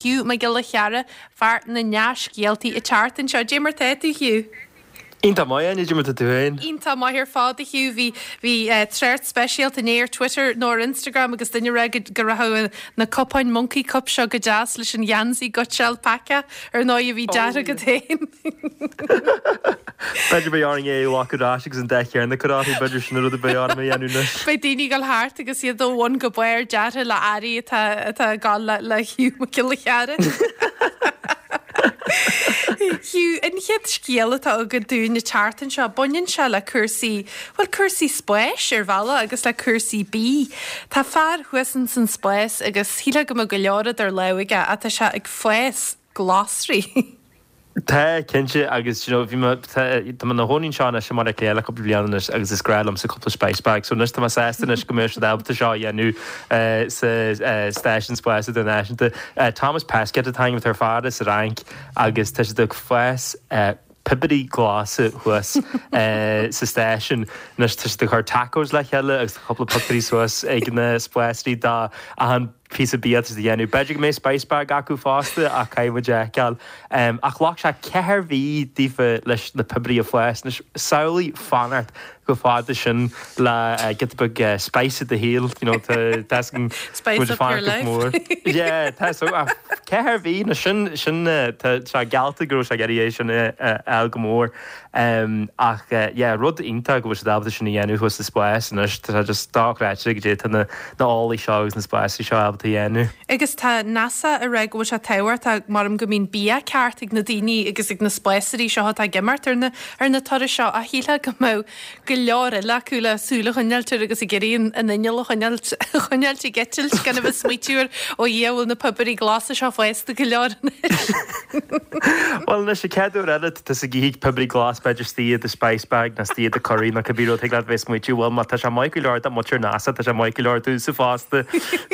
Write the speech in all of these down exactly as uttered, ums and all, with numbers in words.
Hugh Mac Giolla Chearra fear na ndea-scéaltaí an tseachtain seo. Dé mar tá tú Hugh. Iontach maith Áine mar tá tú féin. Iontach maith ar fad Hugh bhí bhí uh, trácht speisialta inné ar Twitter nó ar Instagram agus duine rá go raibh na cupáin monkey cup seo go deas leis an gheansaí Goitseáil Peaca ar ná a bhí deartha agat féin. B'fhéidir beidh orainn é a go agus an de chearna churáí b'fhéidir sin rud a bheidh orm a dhéanamh anois. Beidh daoine ag gabháil thart agus iad ó bhun go barr deartha le earraí atá atá ag gabháil le le Hugh Mac Giolla Chearra. Hugh an chéad scéal atá agat dúinn an tseachtain seo baineann sé le cúrsaí well cúrsaí spáis ar bhealach agus le cúrsaí bídh. Tá fear thuas san spás agus shílfeá go mbeadh go leor idir lámha aige ach tá sé ag fás glasraí. Tá cinnte agus you know, bhí tá na hóín seo se mar léile cúpla bliain anois agus is breá liomsa cúpla spice bag, so anois tá mé sásta anois go mbeidh siad ábalta seo a dhéanamh sa stáisiún spáis idirnáisiúnta. Thomas Pesquet atá ar fad sa Fhrainc agus tá sé ag fás piobarí glasa thuas sa stáisiún anois tá siad ag cur tacos le chéile agus cúpla pictiúirí suas ag na spásairí dá an píosa bia a dhéanamh. B'fhéidir go mbeidh spice bag acu fosta ach caithfidh muid a fheiceáil. Ach ghlac sé ceithre mhí daofa leis na piobarí a fhás anois samhlaigh fanacht go fada sin le giota beag spice i do shaol you know Spice up your life. mór. Yeah, tá so ceithre mhí na sin sin tá sé geallta go raibh sé ag iarraidh é sin a go mór. Um, ach yeah, rud iontach go bhfuil siad ábalta sin a dhéanamh thuas sa spás anois tá just dochreidte go dtí na na eolaí seo agus na spásairí seo ábalta a dhéanamh. Agus tá NASA ag rá go bhfuil sé tábhachtach mar go mbíonn bia ceart ag na daoine agus ag na spásairí seo atá ag imeacht ar na ar na turais seo a shílfeá go mbeadh go leor eile acu le súil a choinneáil agus ag iarraidh an inneall a choinneáil choinneáil ag eitilt gan a bheith smaoitiú ar ó Dhia bhfuil na piobarí glasa seo fásta go leor anois. Well anois an chéad uair eile tá ag ithe piobarí glas b'fhéidir istigh i do spice bag nó istigh i do curry nó cibé rud thig leat bheith smaoitiú well má tá sé maith go leor do mhuintir NASA tá sé maith go leor domhsa fosta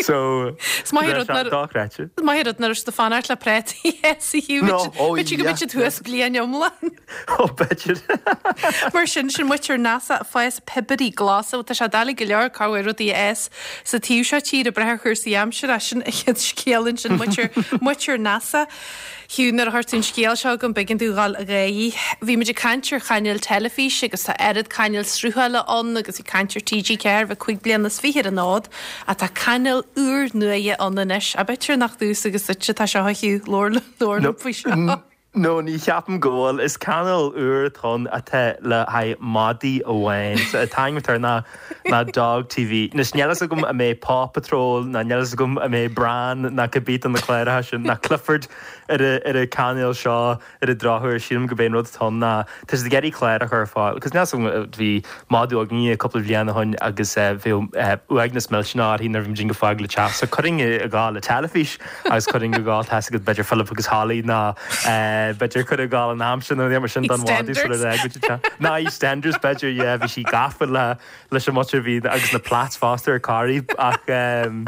so Is maith rud nar- dochreidte. Maith rud nach raibh siad ag fanacht le prátaí No, oh, B'fhéidir go yeah. mbeidh siad thuas bliain iomlán. Ó b'fhéidir. Mar sin sin muintir NASA fás piobarí glasa tá sé doiligh go leor cabhair rudaí es sa taobh seo tíre breith ar chúrsaí aimsire sin an chéad scéal sin muintir muintir NASA. Hugh nuair a chuir tú an scéal seo chugam b'éigean domh dhul ag gáirí. Bhí muid ag caint ar chainéil teilifís agus tá oiread cainéil sruthála ann agus bhí caint ar TG Ceathair bheith cúig bliana is fiche ar an fhód ach tá cainéal úr nua ann anois a b'fhéidir nach domhsa agus duitse atá seo Hugh labhair labhair faoi seo. No ní cheapaim go bhfuil is cainéal úr atá ann atá le haghaidh madaí amháin so an t-ainm atá air ná ná Dog TV. Anois níl a fhios agam an mbeidh Paw Patrol ná níl a fhios agam an mbeidh Bran ná cibé de na cláracha sin ná Clifford ar a ar an cainéal seo ar an drochuair sílim go b'é an rud atá ann ná tá siad ag iarraidh clár a chur ar fáil cos níl a fhios agam bhí madadh againne cúpla bliain ó shin agus bhí uaigneas millteanach uirthi nuair a bhí muid ag fágáil an teach so chuirfinn ag gabháil le teilifís agus chuirfinn ag gabháil tá a fhios agat b'fhéidir Philip agus Holly ná b'fhéidir cur ag gabháil an am sin nó mar sin don mhadadh sula bhfágfaidh Ná EastEnders b'fhéidir yeah, bhí sí gafa le leis an muintir bhí agus na plats fosta ar Corrie ach um,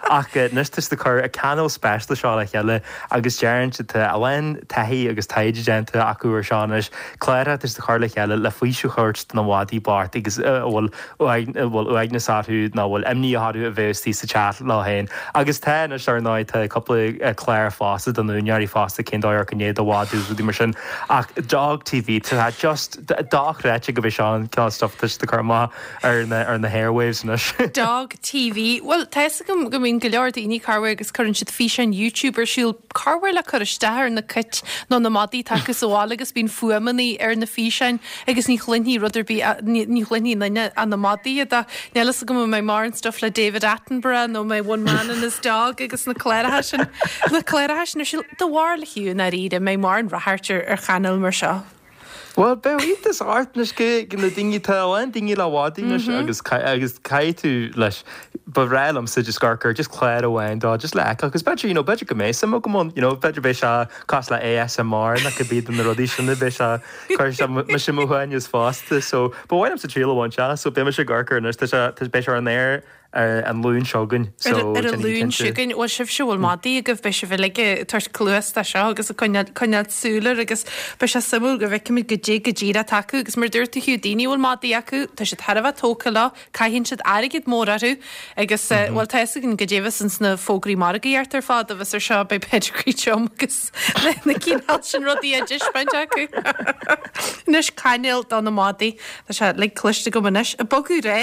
ach anois tá siad ag cur an cainéal speisialta seo le chéile agus deireann siad tá a lán taithí agus taighde déanta acu ar seo anois cláracha tá siad ag cur le chéile le faoiseamh a thabhairt do na madaí bocht agus a bhfuil bhfuil uaigneas orthu nó bhfuil imní orthu a bheith istigh sa teach leo féin agus tá anois ar ndóigh tá cúpla clár fosta don úinéirí fosta cén dóigh ar gné do mhadadh rudaí mar sin ach Dog TV tá just dochreidte go bhfuil seo an cineál stuff tá siad ag cur amach ar na ar na airwaves anois. Dog TV. Well tá a fhios agam go mbíonn go leor daoine corruair agus cuireann siad físeán YouTube ar siúl corruair le cur isteach ar na cait nó na madaí atá acu sa bhaile agus bíonn fuaimeanna ar na físeáin agus ní chluinfidh rud ar bith ní chluinfidh duine ach na madaí iad Níl a fhios agam an mbeidh mórán stuff le David Attenborough nó mbeidh One Man and his Dog agus na cláracha sin na cláracha sin ar siúl do bharúil a Hugh dáiríre mbeidh mórán radhairc ar ar chainéal mar seo. Well beidh iontas ort anois go na daoine tá a lán daoine le madaí anois agus agus caithfidh tú leis ba bhreá liomsa just gur gur just clár amháin dá just le fheiceáil cos b'fhéidir you know b'fhéidir go mbeidh suim agam ann you know b'fhéidir beidh sé cosúil le ASMR nó cibé de na rudaí sin beidh sé chuir sé mise mo shuaimhneas fosta so ba mhaith liomsa triail a bhaint as so beidh mise ag amharc air anois tá sé tá beidh sé ar an aer ar an Luan seo chugainn. So, ar an Luan seo chugainn bhfuil sibhse bhfuil madaí agaibh beidh sibh uilig ag tabhairt cluas dó seo agus ag coinneáil súil air agus beidh sé suimiúil go bhfeicfimid goidé go díreach atá acu agus mar dúirt tú Hugh daoine a bhfuil madaí acu tá siad thar a bheith tógtha leo caitheann siad airgead mór orthu agus mm -hmm. bhuel tá fhios againn goidé a bheas ins na fógraí margaíochta ar fad agus ar seo beidh pedigree chum agus na cineál sin rudaí á dtaispeáint acu. Anois cainéal do na madaí Tá sé like cloiste agam anois ag bogadh ar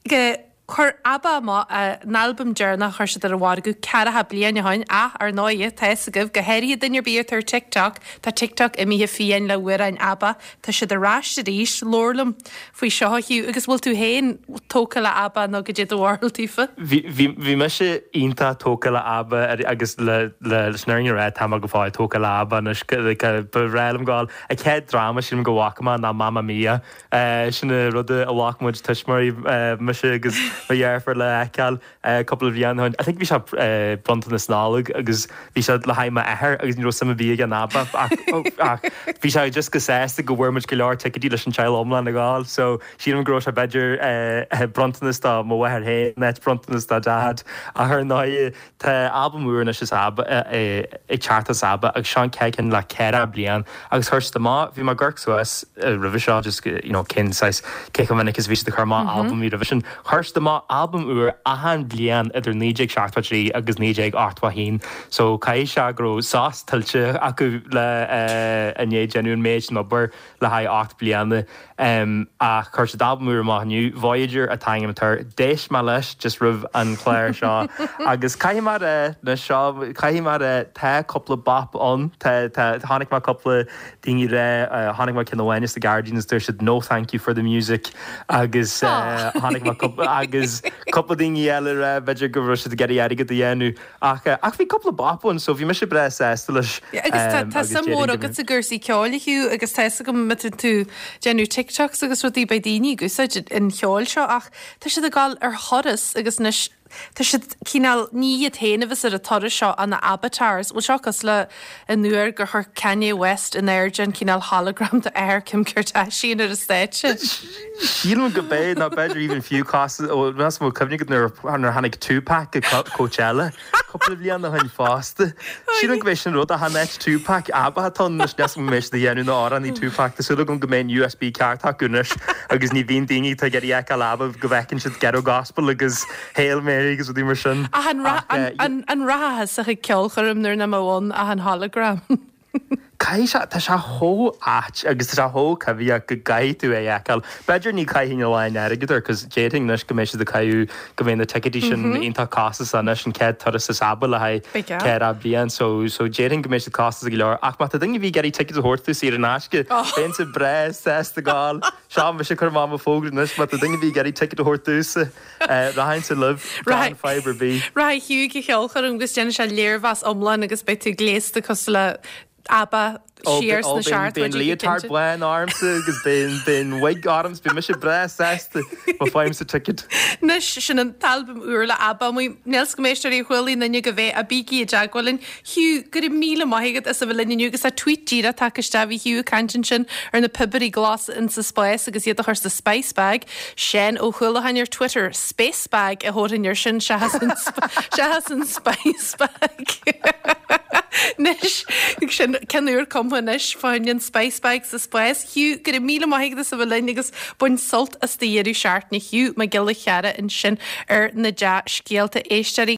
aghaidh Chuir ABBA amach a n-albam deireanach a chuir siad ar an mhargadh ceathracha bliain ó shin ach ar ndóigh tá fhios agaibh go háirithe duine ar bith atá ar TikTok, tá TikTok imithe fiáin le hamhráin ABBA, tá siad ar ais arís, labhair liom faoi seo a Hugh agus bhfuil tú féin tógtha le ABBA nó goidé do bharúil daofa? Bhí mise iontach tógtha le ABBA agus le leis an fhírinne a rá tá mé go fóill tógtha le ABBA anois ba bhreá liom gabháil an chéad dráma sin go bhfaca mé ná Mamma Mia sin an rud a bhfaca muid tuismitheoirí mise agus mo dheirfiúr le feiceáil cúpla bliain ó shin. I think bhí sé bronntanas Nollag agus bhí sé le haghaidh m'athair agus ní raibh suim ar bith aige in ABBA ach bhí sé just go sásta go bhfuair muid go leor ticéidí leis an teaghlach iomlán a ghabháil so sílim go raibh sé b'fhéidir bronntanas do mo mháthair féin nó bronntanas do Dad ach ar ndóigh tá albam úr anois is ABBA ag teacht as ABBA agus seo an chéad cheann le ceithre bliain agus chuir siad amach bhí mé ag amharc suas roimhe seo just you know cén saghas cé chomh minic is bhí siad ag cur amach albam roimhe sin chuir siad amach albam úr achan bliain idir naoi déag seachtó trí agus naoi déag ochtó a haon so caithfidh sé go raibh sos tuillte acu le i ndiaidh déanamh an méid sin obair le haghaidh ocht bliana ach chuir siad albam úr amach inniu Voyager an t-ainm atá air d'éist mé leis just roimh an chlár seo agus caithfidh mé a rá na seo caithfidh mé a rá tá cúpla bop ann tá tá chonaic mé cúpla daoine rá chonaic mé ceann amháin is The Guardian is dúirt siad no thank you for the music agus chonaic mé cúpla agus cúpla daoine eile rá b'fhéidir go raibh siad ag iarraidh airgead a dhéanamh ach ach bhí cúpla bop ann so bhí mise breá sásta leis Agus tá tá suim mhór agat i gcúrsaí ceoil a Hugh agus tá fhios agam má tá tú déanamh TikToks agus rudaí beidh daoine ag úsáid an cheoil seo ach tá siad ag dul ar thuras agus anois tá siad cineál ní iad féin a bheas ar an turas seo ach na avatars bhfuil seo cosúil le an uair gur chuir Kanye West in airde an cineál hologram de athair Kim Kardashian ar an stáitse. Sílim go bé ná b'fhéidir even fiú cás meas mó cuimhne nuair nuair tháinig Tupac go Coachella cúpla bliain ó shin fosta. Sílim go bé sin rud a tháinig Tupac ABBA atá anois nes go mbeidh siad a dhéanamh na amhráin Tupac Tá súil agam go mbeidh an USB ceart acu anois agus ní bhíonn daoine atá ag iarraidh feiceáil ABBA go bhfeiceann siad Ghetto Gospel agus Hail Mary agus rudaí mar sin. Ach an ra- an- an- an rachfá chuig ceolchoirm nuair nach mbeadh ann ach an hologram. Caithfidh sé tá sé chomh ait agus tá sé chomh coimhthíoch go gcaithfidh tú é a fheiceáil. B'fhéidir ní chaithfinn a lán airgead air cos d'fhéadfainn anois go mbeidh siad ag caitheamh go mbeidh na ticéidí sin iontach costasach anois an chéad turas is ABBA le haghaidh Big yeah. ceithre bliain so so d'fhéadfainn go mbeidh siad costasach go leor ach má tá duine a bhí ag iarraidh ticéad a thabhairt domh saor in aisce bheinnse breá sásta gabháil Seo mise ag cur amach mo fógra anois má tá duine a bhí ag iarraidh ticéad a thabhairt domhsa rachainnse libh gan fadhb ar bith. Rachaidh Hugh go ceolchoirm agus déanfaidh sé léirmheas iomlán agus beidh tú gléasta cosúil le ABBA siar sna Bíonn seachtóidí go leotard cinnte. bán ormsa agus bíonn bíonn wig orms bhí mise breá sásta má fhaighimse ticéad. Anois sin an t-albam úr le ABBA amuigh níl go méisteirí chualaí duine go bheith a bígí i dteagmháil linn. Hugh go raibh míle maith agat as a bheith linn inniu agus tá tweet díreach tagtha isteach bhí Hugh ag caint ansin ar na piobair ghlasa in sa spás agus iad a chur sa spice bag. Sin Ó Chualachain ar Twitter space bag a thabharfainn air sin seachas an sp- seachas an spice bag. Anois sin ceann úr cumtha anois fá an spice bag sa spás. Hugh go raibh míle maith agat as a bheith linn agus bain sult as do dheireadh seachtaine Hugh Mac Giolla Chearra ansin ar na dea-scéalta éisteoirí.